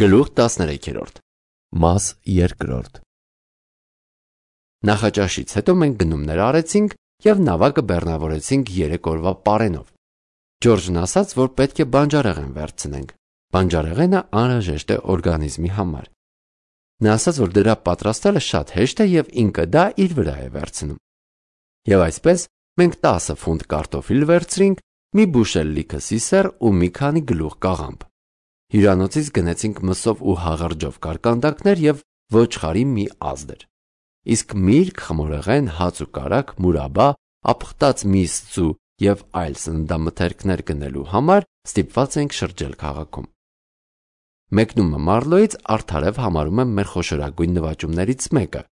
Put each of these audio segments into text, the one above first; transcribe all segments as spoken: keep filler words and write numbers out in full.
Գլուխ տասներեքերորդ Մաս երկրորդ Նախաճաշից հետո մենք գնումներ արեցինք և նավակը բեռնավորեցինք երեք օրվա պարենով։ Ջորջն ասաց, որ պետք է բանջարեղեն վերցնենք։ Բանջարեղենը անհրաժեշտ է օրգանիզմի համար։ Նա ասաց, որ դրա պատրաստելը շատ հեշտ է և ինքը դա իր վրա է վերցնում։ Եվ այսպես մենք տասը ֆունտ կարտոֆիլ վերցրինք, մի բուշել լիքը սիսեռ ու մի քանի գլուխ կաղամբ։ Հյուրանոցից գնեցինք մսով ու հաղարջով կարկանդակներ և ոչխարի մի ազդր։ Իսկ միրգ, խմորեղեն, հաց ու կարագ, մուրաբա, ապխտած միս ձու և այլ սննդամթերքներ գնելու համար ստիպված էինք շրջել քաղաքում։ Մեկնումը Մարլոյից արդարև համարում եմ մեր խոշորագույն նվաճումներից մեկը։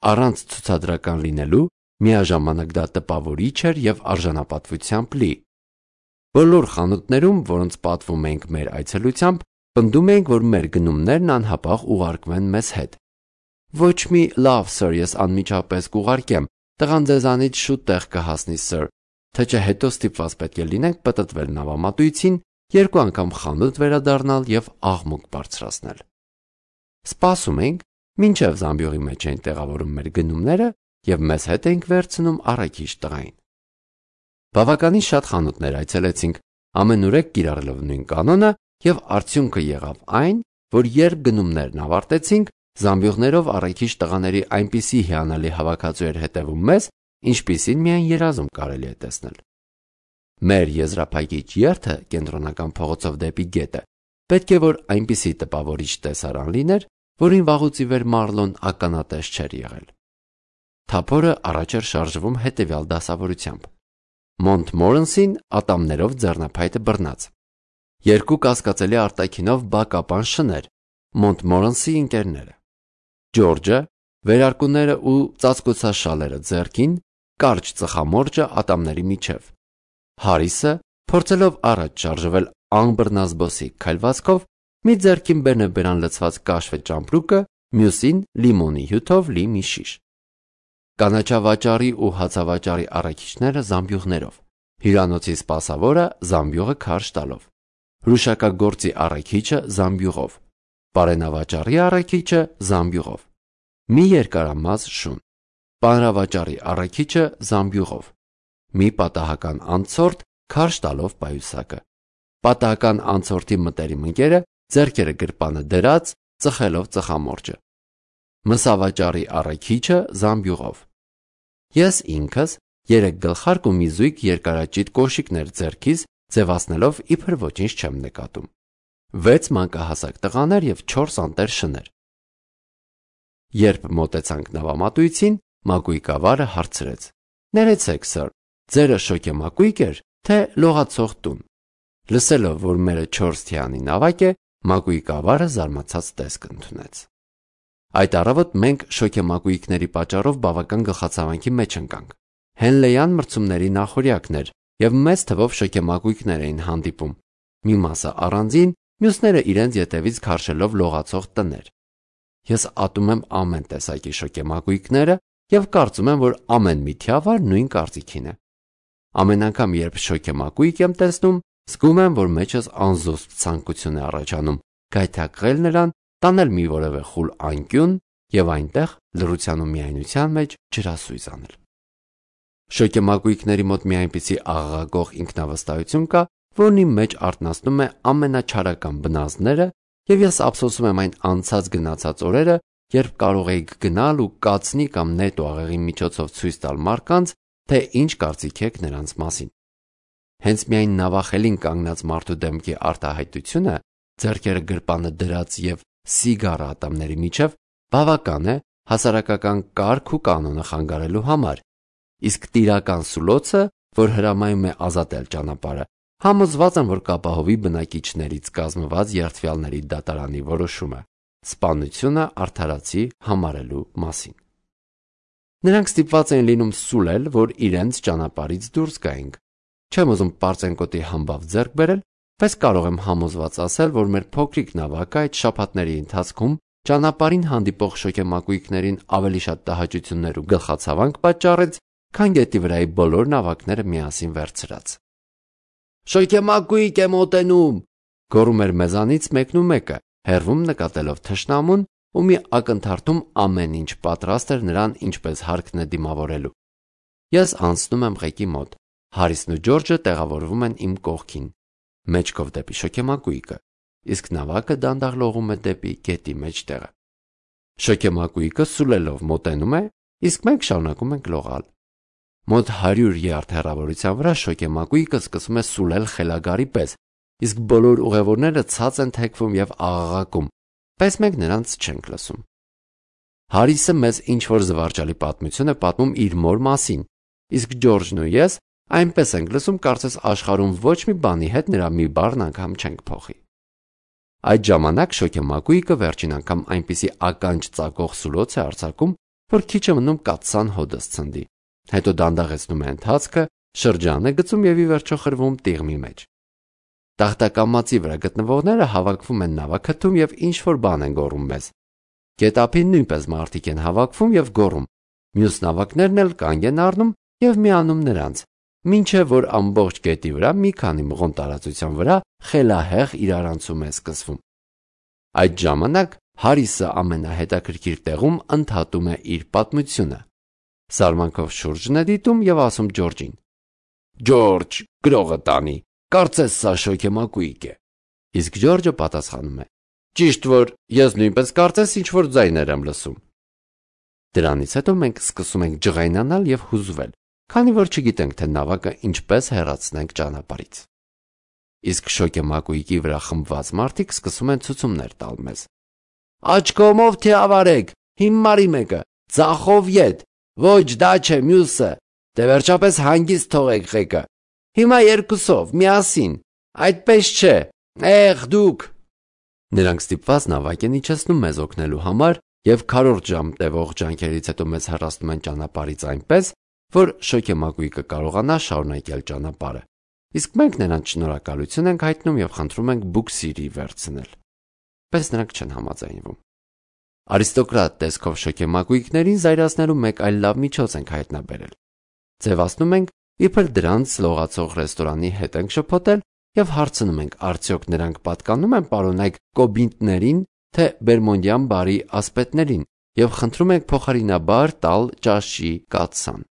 Առանց ցուցադրական լինելու, միաժամանակ դա տպավորիչ էր և արժանապատվությամբ լի։ Բոլոր խանութներում, որոնց պատվում էինք մեր այցելությամբ, պնդում էինք, որ մեր գնումներն անհապաղ ուղարկվեն մեզ հետ։ Ոչ մի լավ, սըր, ես անմիջապես կուղարկեմ, տղան ձեզանից շուտ տեղ կհասնի, սըր, թե չէ հետո ստիպված պետք է լինենք պտտվել նավամատույցին, երկու անգամ խանութ վերադառնալ և աղմուկ բարձրացնել։ Սպասում էինք, մինչև զամբյուղի մեջ էին տեղավորում մեր գնումները և մեզ հետ էինք վերցնում առաքիչ տղային։ Բավականին շատ խանութներ այցելեցինք, ամենուրեք կիրառելով նույն կանոնը, և արդյունքը եղավ այն, որ երբ գնումներն ավարտեցինք, զամբյուղներով առաքիչ տղաների այնպիսի հիանալի հավաքածու էր հետևում մեզ, ինչպիսին միայն երազում կարելի է տեսնել։ Մեր եզրափակիչ երթը կենտրոնական փողոցով դեպի գետը պետք է որ այնպիսի տպավորիչ տեսարան լիներ, որին վաղուց ի վեր Մարլոն ականատես չէր եղել։ Թափորը առաջ էր շարժվում հետևյալ դասավորությամբ. Մոնտմորենսին ատամներով ձեռնափայտը բռնած, երկու կասկածելի արտաքինով բակապան շներ, Մոնտմորենսի ընկերները, Ջորջը, վերարկուները ու ծածկոցաշալերը ձեռքին, կարճ ծխամորճը ատամների միջև, Հարիսը, փորձելով առաջ շարժվել անբռնազբոսիկ քայլվածքով, մի ձեռքին բերնեբերան լցված կաշվե ճամպրուկը, մյուսին լիմոնի հյութով լի մի շիշ։ Կանաչավաճառի ու հացավաճառի առաքիչները զամբյուղներով, հյուրանոցի սպասավորը զամբյուղը քարշ տալով, հրուշակագործի առաքիչը զամբյուղով, պարենավաճառի առաքիչը զամբյուղով, մի երկարամազ շուն, պանրավաճառի առաքիչը զամբյուղով, մի պատահական անցորդ քարշ տալով պայուսակը, պատահական անցորդի մտերիմ ընկերը ձեռքերը գրպանը դրած ծխելով ծխամորճը, մսավաճառի առաքիչը զամբյուղով։ Ես ինքս երեք գլխարկ ու մի զույգ երկարաճիտ կոշիկներ ձեռքիս ձևացնելով իբր ոչինչ չեմ նկատում, վեց մանկահասակ տղաներ և չորս անտեր շներ։ Երբ մոտեցանք նավամատույցին, մակույկավարը հարցրեց. «Ներեցեք, սըր, ձերը շոգեմակույկ էր, թե լողացող տուն»։ Լսելով, որ մերը չորս թիանի նավակ է, մակույկավարը զարմացած տեսք ընդունեց։ Այդ առավոտ մենք շոգեմակույկների պատճառով բավական գլխացավանքի մեջ ընկանք։ Հենլեյան մրցումների նախօրյակն էր, և մեծ թվով շոգեմակույկներ էին հանդիպում, մի մասը առանձին, մյուսները իրենց ետևից քարշելով լողացող տներ։ Ես ատում եմ ամեն տեսակի շոգեմակույկները և կարծում եմ, որ ամեն մի թիավար նույն կարծիքին է։ Ամեն անգամ, երբ շոգեմակույկ եմ տեսնում, զգում եմ, որ մեջս անզուսպ ցանկություն է առաջանում գայթակղել նրան, տանել մի որևէ խուլ անկյուն և այնտեղ լռության ու միայնության մեջ ջրասույզ անել։ Շոգեմակույկների մոտ մի այնպիսի աղաղակող ինքնավստահություն կա, որն իմ մեջ արթնացնում է ամենաչարական բնազդները, և ես ափսոսում եմ այն անցած գնացած օրերը, երբ կարող էիք գնալ ու կացնի կամ նետ ու աղեղի միջոցով ցույց տալ մարդկանց, թե ինչ կարծիք եք նրանց մասին։ Հենց միայն նավախելին կանգնած մարդու դեմքի արտահայտությունը, ձեռքերը գրպանը դրած և սիգարը ատամների միջև, բավական է հասարակական կարգ ու կանոնը խանգարելու համար, իսկ տիրական սուլոցը, որ հրամայում է ազատել ճանապարհը, համոզված եմ, որ կապահովի բնակիչներից կազմված երդվյալների դատարանի որոշումը սպանությունը արդարացի համարելու մասին։ Նրանք ստիպված էին լինում սուլել, որ իրենց ճանապարհից դուրս գայինք։ Չեմ ուզում պարծենկոտի համբավ ձեռք բերել, բայց կարող եմ համոզված ասել, որ մեր փոքրիկ նավակը այդ շաբաթների ընթացքում ճանապարհին հանդիպող շոգեմակույկներին ավելի շատ տհաճություններ ու գլխացավանք պատճառեց, քան գետի վրայի բոլոր նավակները միասին վերցրած։ «Շոգեմակույկ է մոտենում», գոռում էր մեզանից մեկն ու մեկը, հեռվում նկատելով թշնամուն ու մի ակնթարթում ամեն ինչ պատրաստ էր նրան ինչպես հարկն է դիմավորելու։ Ես անցնում եմ ղեկի մոտ, Հարիսն ու Ջորջը տեղավորվում են իմ կողքին, մեջքով դեպի շոգեմակույկը, իսկ նավակը դանդաղ լողում է դեպի գետի մեջտեղը։ Շոգեմակույկը սուլելով մոտենում է, իսկ մենք շարունակում ենք լողալ։ Մոտ հարյուր յարդ հեռավորության վրա շոգեմակույկը սկսում է սուլել խելագարի պես, իսկ բոլոր ուղևորները ցած են թեքվում եւ աղաղակում, բայց մենք նրանց չենք լսում։ Հարիսը մեզ ինչ-որ զվարճալի պատմություն է պատմում իր մոր մասին, իսկ Ջորջն ու ես այնպես ենք լսում, կարծես աշխարհում ոչ մի բանի հետ նրա մի բառն անգամ չենք փոխի։ Այդ ժամանակ շոգեմակույկը վերջին անգամ այնպիսի ականջ ծակող սուլոց է արձակում, որ քիչ է մնում կաթսան հոդս ցնդի, հետո դանդաղեցնում է ընթացքը, շրջան է գցում եւ ի վերջո խրվում տիղմի մեջ։ Տախտակամածի վրա գտնվողները հավաքվում են նավակաթում եւ ինչ-որ բան են գոռում մեզ։ Գետափին նույնպես մարդիկ են հավաքվում եւ գոռում, մյուս նավակներն էլ կանգ են առնում եւ միանում նրանց, մինչեւ որ ամբողջ գետի վրա մի քանի մղոն տարածության վրա խելահեղ իրարանցում է սկսվում։ Այդ ժամանակ Հարիսը ամենահետաքրքիր տեղում ընդհատում է իր պատմությունը։ Սարմանքով շուրջն է դիտում եւ ասում Ջորջին. «Ջորջ, գրողը տանի, կարծես սա շոգեմակույկ է»։ Իսկ Ջորջը պատասխանում է. «Ճիշտ որ ես նույնպես կարծես ինչ-որ ձայներ եմ լսում»։ Դրանից հետո մենք սկսում ենք ջղայնանալ եւ հուզվել, քանի որ չգիտենք, թե նավակը ինչպես հեռացնենք ճանապարհից։ Իսկ շոգեմակույկի վրա խմբված մարդիկ սկսում են ցուցումներ տալ մեզ. «Աչքոմով թե ավարեք, հիմարի մեկը, ձախով ետ, ոչ դա չէ մյուսը, դե վերջապես հանգիստ թողեք ղեկը, հիմա երկուսով, միասին, այդպես չէ, եղ դուք»։ Նրանք ստիպված նավակ են իջեցնում մեզ օգնելու համար եւ քառորդ ժամ տևող ջանքերից հետո մեզ հեռացնում են ճանապարհից այնպես, որ շոգեմակույկը կարողանա շարունակել ճանապարհը, իսկ մենք նրանց շնորհակալություն ենք հայտնում եւ խնդրում ենք բուքսիրի վերցնել, բայց նրանք չեն համաձայնվում։ Արիստոկրատ տեսքով շոգեմակույկներին զայրացնելու մեկ այլ լավ միջոց ենք հայտնաբերել։ Ձևացնում ենք, իբր դրանց լողացող ռեստորանի հետ ենք շփոթել եւ հարցնում ենք, արդյոք նրանք պատկանում են պարոնայք կոբինտներին, թե բերմոնդյան բարի ասպետներին, եւ խնդրում ենք փոխարինաբար տալ ճաշի կաթսան։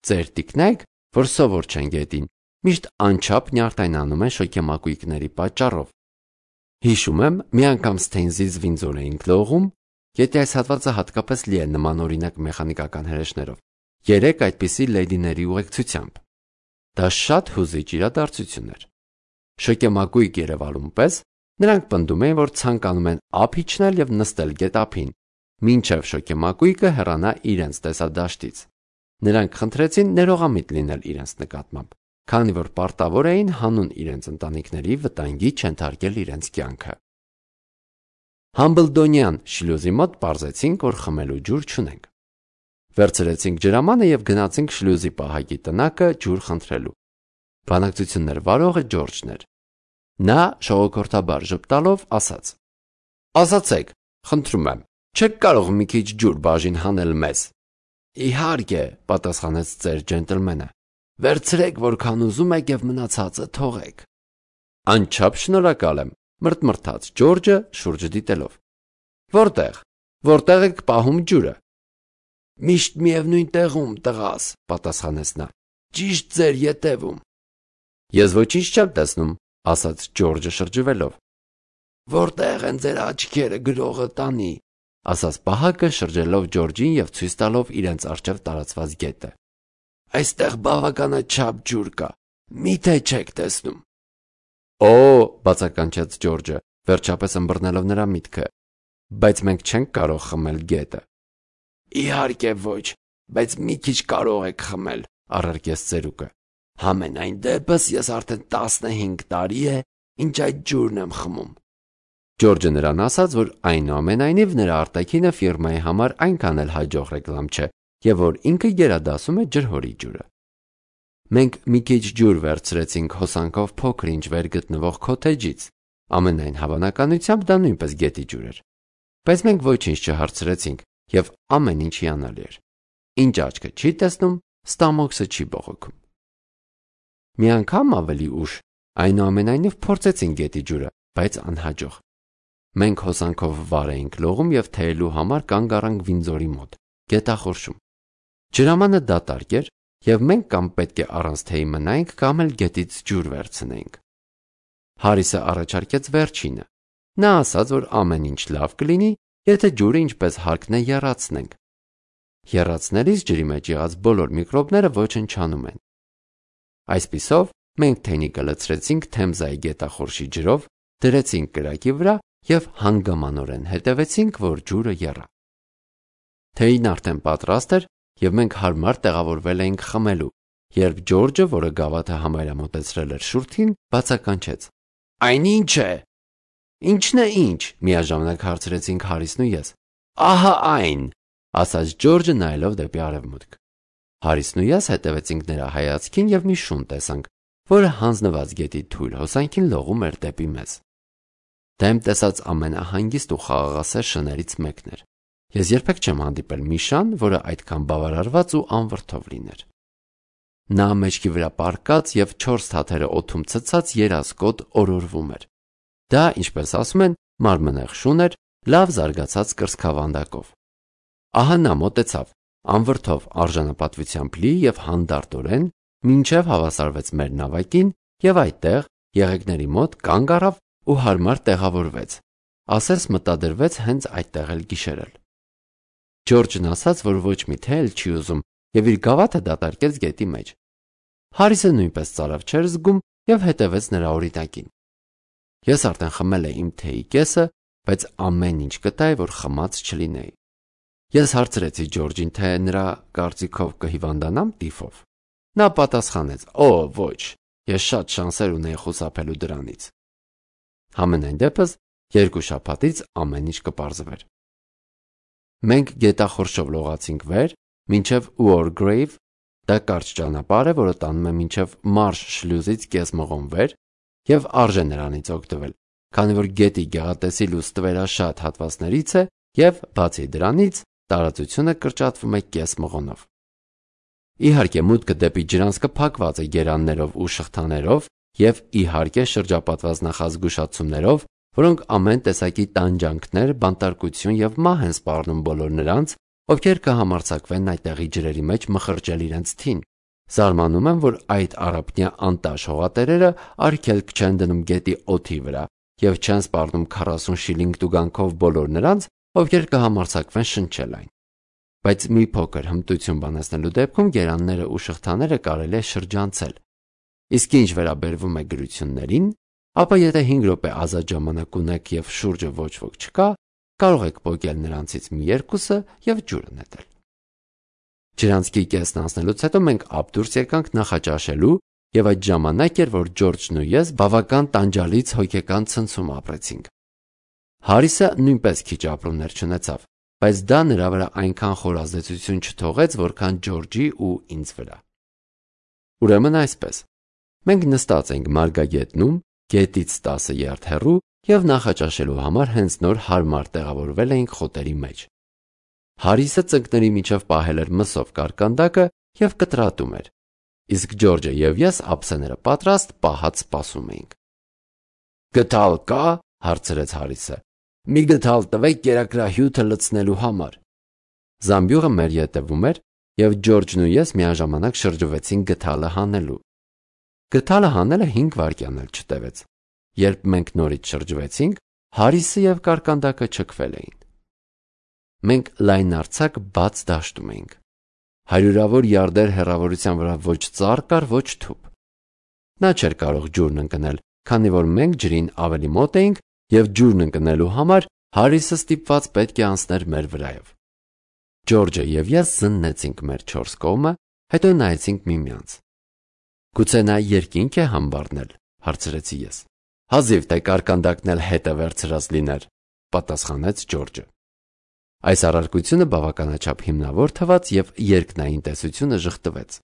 Ձեր տիկնայք, որ սովոր չեն գետին, միշտ անչափ նյարդայնանում են շոգեմակույկների պատճառով։ Հիշում եմ, մի անգամ Սթեյնզից Վինձոր էինք լողում, գետի այս հատվածը հատկապես լի է նմանօրինակ մեխանիկական հրեշներով, երեք այդպիսի լեյդիների ուղեկցությամբ։ Դա շատ հուզիչ իրադարձություն էր։ Շոգեմակույկ Երևանում պես նրանք պնդում էին, որ ցանկանում են ափ իջնել եւ նստել գետափին, մինչեւ շոգեմակույկը հեռանա իրենց տեսադաշտից։ Նրանք խնդրեցին ներողամիտ լինել իրենց նկատմամբ, քանի որ պարտավոր էին հանուն իրենց ընտանիքների վտանգի չենթարկել իրենց կյանքը։ Համբլդոնյան շլյուզի մոտ պարզեցինք, որ խմելու ջուր չունենք։ Վերցրեցինք ջրամանը եւ գնացինք շլյուզի պահակի տնակը ջուր խնդրելու։ Բանակցություններ վարողը Ջորջն էր։ Նա շողոքորթաբար ժպտալով ասաց. «Ասացեք, խնդրում եմ, չեք կարող մի քիչ ջուր բաժին հանել մեզ»։ «Իհարկե», պատասխանեց ծեր ջենտլմենը, «վերցրեք, որքան ուզում եք եւ մնացածը թողեք»։ «Անչափ շնորհակալ եմ», մրթմրթաց Ջորջը շուրջը դիտելով։ «Որտեղ, որտեղ եք պահում ջուրը»։ «Միշտ միևնույն տեղում, տղաս», պատասխանեց նա, «ճիշտ ձեր ետևում»։ «Ես ոչինչ չեմ տեսնում», ասաց Ջորջը շրջվելով։ «Որտեղ են ձեր աչքերը, գրողը տանի», ասաց պահակը շրջելով Ջորջին եւ ցույց տալով իրենց առջև տարածված գետը։ «Այստեղ բավականաչափ ջուր կա, միթե չեք տեսնում»։ «Օ», բացականչեց Ջորջը, վերջապես ըմբռնելով նրա միտքը, «բայց մենք չենք կարող խմել գետը»։ «Իհարկե ոչ, բայց մի քիչ կարող եք խմել», առարկեց ծերուկը։ «Համենայն դեպս ես արդեն տասնհինգ տարի է, ինչ այդ ջուրն եմ խմում»։ Ջորջը նրան ասաց, որ այնուամենայնիվ նրա արտաքինը ֆիրմայի համար այնքան էլ հաջող ռեկլամ չէ, եւ որ ինքը գերադասում է ջրհորի ջուրը։ Մենք մի քիչ ջուր վերցրեցինք հոսանքով փոքր-ինչ վեր գտնվող քոթեջից, ամենայն հավանականությամբ դա նույնպես գետի ջուր էր։ Բայց մենք ոչինչ չհարցրեցինք, եւ ամեն ինչ հիանալի էր։ Ինչ աչքը չի տեսնում, ստամոքսը չի բողոքում։ Մի անգամ ավելի ուշ այնուամենայնիվ փորձեցինք գետի ջուրը, բայց անհաջող։ Մենք հոսանքով վար էինք լողում և թեյելու համար կանգ առանք Վինձորի մոտ, գետախորշում։ Ջրամանը դատարկ էր, և մենք կամ պետք է առանց թեյի մնայինք, կամ էլ գետից ջուր վերցնեինք։ Հարիսը առաջարկեց վերջինը։ Նա ասաց, որ ամեն ինչ լավ կլինի, եթե ջուրը ինչպես հարկն է եռացնենք։ Եռացնելիս ջրի մեջ եղած բոլոր միկրոբները ոչնչանում են։ Այսպիսով, մենք թեյնիկը լցրեցինք Թեմզայի գետախորշի ջրով, դրեցինք կրակի վրա և հանգամանորեն հետևեցինք, որ ջուրը եռա։ Թեյին արդեն պատրաստ էր, և մենք հարմար տեղավորվել էինք խմելու, երբ Ջորջը, որը գավաթը համարյա մոտեցրել էր շուրթին, բացականչեց. «Այն ի՞նչ է»։ «Ի՞նչն է ինչ», միաժամանակ հարցրեցինք Հարիսն ու ես։ «Ահա այն», ասաց Ջորջը նայելով դեպի արևմուտք։ Հարիսն ու ես հետևեցինք նրա հայացքին և մի շուն տեսանք, որը հանձնված գետի թույլ հոսանքին լողում էր դեպի մեզ։ Դեմ տեսած ամենահանգիստ ու խաղաղասեր շներից մեկն էր։ Ես երբեք չեմ հանդիպել մի շան, որը այդքան բավարարված ու անվրդով լիներ։ Նա մեջքի վրա պառկած և չորս թաթերը օդում ցցած երազկոտ օրորվում էր։ Դա, ինչպես ասում են, մարմնեղ շուն էր, լավ զարգացած կրծքավանդակով։ Ահա նա մոտեցավ, անվրդով արժանապատվությամբ լի և հանդարտորեն, մինչև հավասարվեց մեր նավակին և այդտեղ, եղեգների մոտ կանգ առավ ու հարմար տեղավորվեց, ասես մտադրվեց հենց այդտեղ էլ գիշերել։ Ջորջն ասաց, որ ոչ մի թեյ էլ չի ուզում և իր գավաթը դատարկեց գետի մեջ։ Հարիսը նույնպես ծարավ չէր զգում և հետևեց նրա օրինակին։ Ես արդեն խմել էի իմ թեյի կեսը, բայց ամեն ինչ կտայի, որ խմած չլինեի։ Ես հարցրեցի Ջորջին, թե նրա կարծիքով կհիվանդանամ տիֆով։ Նա պատասխանեց. «Օ, ոչ, ես շատ շանսեր ունեի խուսափելու դրանից»։ Համենայն դեպս, երկու շաբաթից ամեն ինչ կպարզվեր։ Մենք գետախորշով լողացինք վեր, մինչև War Grave, դա կարճ ճանապարհ է, որը տանում է մինչև Մարշ շլյուզից կես մղոն վեր, և արժե նրանից օգտվել, քանի որ գետի գեղատեսիլ ու ստվերաշատ հատվածներից է և, բացի դրանից, տարածությունը կրճատվում է կես մղոնով։ Իհարկե, մուտքը դեպի ջրանցքը փակված է գերաններով ու շղթաներով և, իհարկե, շրջապատված նախազգուշացումներով, որոնք ամեն տեսակի տանջանքներ, բանտարկություն և մահ են սպառնում բոլոր նրանց, ովքեր կհամարձակվեն այդտեղի ջրերի մեջ մխրճել իրենց թին։ Զարմանում եմ, որ այդ առափնյա անտաշ հողատերերը արգելք չեն դնում գետի օդի վրա և չեն սպառնում քառասուն շիլինգ տուգանքով բոլոր նրանց, ովքեր կհամարձակվեն շնչել այն։ Բայց մի փոքր հմտություն բանացնելու դեպքում գերանները ու շղթաները կարելի է շրջանցել։ Իսկ ինչ վերաբերվում է գրություններին, ապա եթե հինգ րոպե ազատ ժամանակ ունեք և շուրջը ոչ ոք չկա, կարող եք պոկել նրանցից մի երկուսը և ջուրը նետել։ Ջրանցքի կեսն անցնելուց հետո մենք ափ դուրս եկանք նախաճաշելու, և այդ ժամանակ էր, որ Ջորջն ու ես բավական տանջալից հոգեկան ցնցում ապրեցինք։ Հարիսը նույնպես քիչ ապրումներ չունեցավ, բայց դա նրա վրա այնքան խոր ազդեցություն չթողեց, որքան Ջորջի ու ինձ վրա։ Ուրեմն այսպես, մենք նստած էինք մարգագետնում, գետից տասը յարդ հեռու և նախաճաշելու համար հենց նոր հարմար տեղավորվել էինք խոտերի մեջ։ Հարիսը ծնկների միջև պահել էր մսով կարկանդակը և կտրատում էր, իսկ Ջորջը և ես ափսեները պատրաստ պահած սպասում էինք։ «Գդալ կա՞, հարցրեց Հարիսը։ «Մի գդալ տվեք կերակրահյութը լցնելու համար»։ Զամբյուղը մեր ետևում էր, և Ջորջն ու ես միաժամանակ շրջվեցինք գդալը հանելու։ Գդալը հանելը հինգ վայրկյան էլ չտևեց։ Երբ մենք նորից շրջվեցինք, Հարիսը և կարկանդակը չքվել էին։ Մենք լայնարձակ բաց դաշտում էինք։ Հարյուրավոր յարդեր հեռավորության վրա ոչ ծառ կար, ոչ թուփ։ Նա չէր կարող ջուրն ընկնել, քանի որ մենք ջրին ավելի մոտ էինք, և ջուրն ընկնելու համար Հարիսը ստիպված պետք է անցներ մեր վրայով։ Ջորջը և ես զննեցինք մեր չորս կողմը, հետո նայեցինք միմյանց։ «Գուցե նա երկինք է համբառնել», հարցրեցի ես։ «Հազիվ թե կարկանդակն էլ հետ է վերցրած լիներ», պատասխանեց Ջորջը։ Այս առարկությունը բավականաչափ հիմնավոր թվաց, և երկնային տեսությունը ժխտվեց։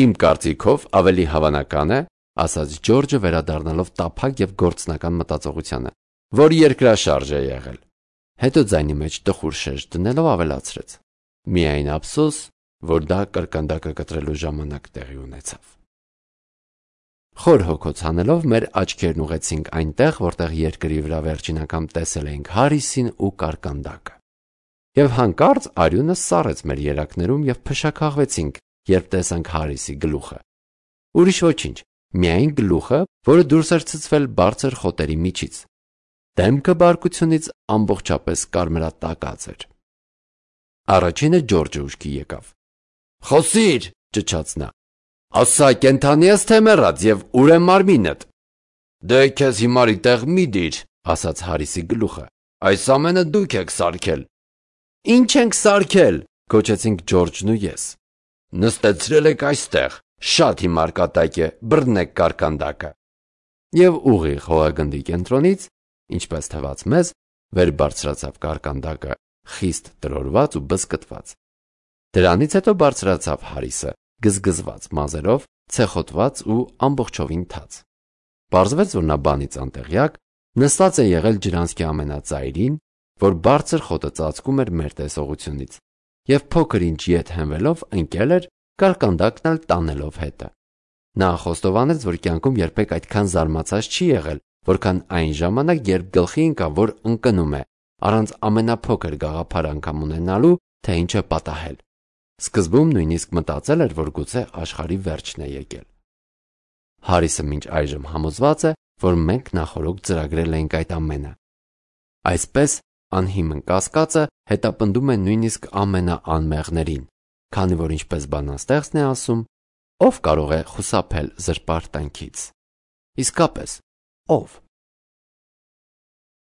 «Իմ կարծիքով ավելի հավանական է, ասաց Ջորջը վերադառնալով տափակ և գործնական մտածողությանը, որ երկրաշարժ է եղել»։ Հետո ձայնի մեջ տխուր շեշտ դնելով ավելացրեց. «Միայն ափսոս, որ դա կարկանդակը կտրելու ժամանակ տեղի ունեցավ»։ Խոր հոգոց հանելով մեր աչքերն ուղեցինք այնտեղ, որտեղ երկրի վրա վերջին անգամ տեսել էինք Հարիսին ու կարկանդակը։ Եվ հանկարծ արյունը սառեց մեր երակներում եւ փշաքաղվեցինք, երբ տեսանք Հարիսի գլուխը։ Ուրիշ ոչինչ, միայն գլուխը, որը դուրս էր ցցվել բարձր խոտերի միջից։ Դեմքը բարկությունից ամբողջապես կարմրատակած էր։ Առաջինը Ջորջը ուշքի եկավ։ «Խոսիր», ճչաց նա։ «Ասա, կենդանի ես թե մեռած եւ ուր է մարմինդ»։ «Դե քեզ հիմարի տեղ մի դիր», ասաց Հարիսի գլուխը։ «Այս ամենը դուք եք սարքել»։ «Ինչ ենք սարքել», գոչեցինք Ջորջն ու ես։ «Նստեցրել եք այստեղ, շատ հիմար կատակ է, բռնեք կարկանդակը»։ Եվ ուղիղ հողագնդի կենտրոնից, ինչպես թվաց մեզ, վեր բարձրացավ կարկանդակը, խիստ տրորված ու բզկտված։ Դրանից հետո բարձրացավ Հարիսը, գզգզված մազերով, ցեխոտված ու ամբողջովին թաց։ Պարզվեց, որ նա բանից անտեղյակ նստած է եղել ջրանցքի ամենածայրին, որ բարձր խոտը ծածկում էր մեր տեսողությունից, եւ փոքր ինչ ետ հենվելով ընկել էր, կարկանդակն էլ տանելով հետը։ Նա խոստովանեց, որ կյանքում երբեք այդքան զարմացած չի եղել, որքան այն ժամանակ, երբ գլխի ընկավ, որ ընկնում է, առանց ամենափոքր գաղափար անգամ ունենալու, թե ինչ է պատահել։ Սկզբում նույնիսկ մտածել էր, որ գուցե աշխարհի վերջն է եկել։ Հարիսը մինչ այժմ համոզված է, որ մենք նախօրոք ծրագրել էինք այդ ամենը։ Այսպես անհիմն կասկածը հետապնդում է նույնիսկ ամենաանմեղներին, քանի որ ինչպես բանաստեղծն է ասում, ով կարող է խուսափել զրպարտանքից։ Իսկապես, ով։